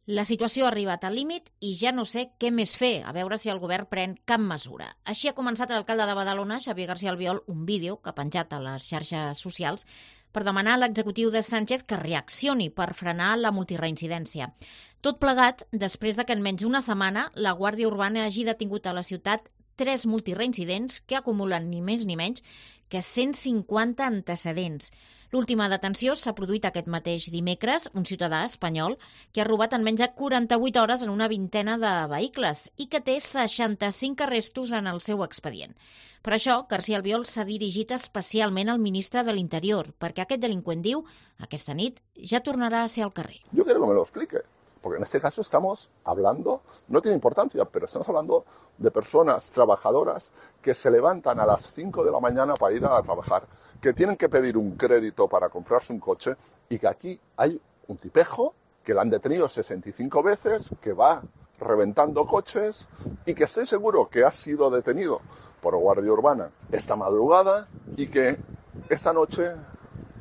La situació ha arribat al límit i ja no sé què més fer, a veure si el govern pren cap mesura. Així ha començat l'alcalde de Badalona, Xavier García Albiol, un vídeo que ha penjat a les xarxes socials per demanar a l'executiu de Sánchez que reaccioni per frenar la multireincidència. Tot plegat després de que en menys d'una setmana la Guàrdia Urbana hagi detingut a la ciutat 3 multireincidents que acumulen ni més ni menys que 150 antecedents. L'última detenció s'ha produït aquest mateix dimecres, un ciutadà espanyol que ha robat en menys de 48 hores en una vintena de vehicles i que té 65 arrestos en el seu expedient. Per això, García Albiol s'ha dirigit especialment al ministre de l'Interior, perquè aquest delinqüent diu aquesta nit ja tornarà a ser al carrer. Yo quiero que me lo explique, porque en este caso estamos hablando, no tiene importancia, pero estamos hablando de personas trabajadoras que se levantan a las 5 de la mañana para ir a trabajar, que tienen que pedir un crédito para comprarse un coche y que aquí hay un tipejo que lo han detenido 65 veces, que va reventando coches y que estoy seguro que ha sido detenido por Guardia Urbana esta madrugada y que esta noche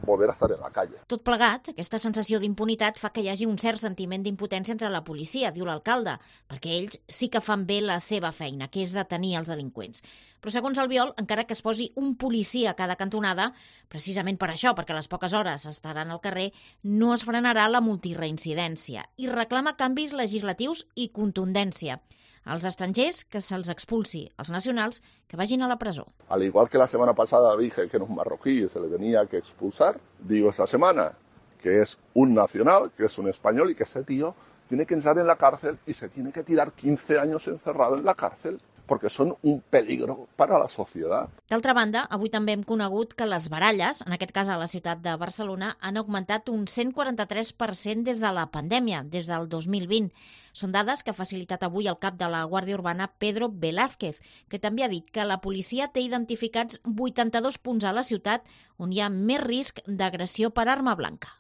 volver a estar en la calle. Tot plegat, aquesta sensació d'impunitat fa que hi hagi un cert sentiment d'impotència entre la policia, diu l'alcalde, perquè ells sí que fan bé la seva feina, que és detenir els delinqüents. Però segons Albiol, encara que es posi un policia a cada cantonada, precisament per això, perquè a les poques hores estaran al carrer, no es frenarà la multireincidència i reclama canvis legislatius i contundència. Als estrangers, que se'ls expulsi. Els nacionals, que vagin a la presó. Al igual que la semana pasada dije que era un marroquí y se le tenía que expulsar, digo esta semana que es un nacional, que es un español y que ese tío tiene que entrar en la cárcel y se tiene que tirar 15 años encerrado en la cárcel, porque son un peligro para la sociedad. D'altra banda, avui també hem conegut que les baralles, en aquest cas a la ciutat de Barcelona, han augmentat un 143% des de la pandèmia, des del 2020. Són dades que ha facilitat avui el cap de la Guàrdia Urbana, Pedro Velázquez, que també ha dit que la policia té identificats 82 punts a la ciutat on hi ha més risc d'agressió per arma blanca.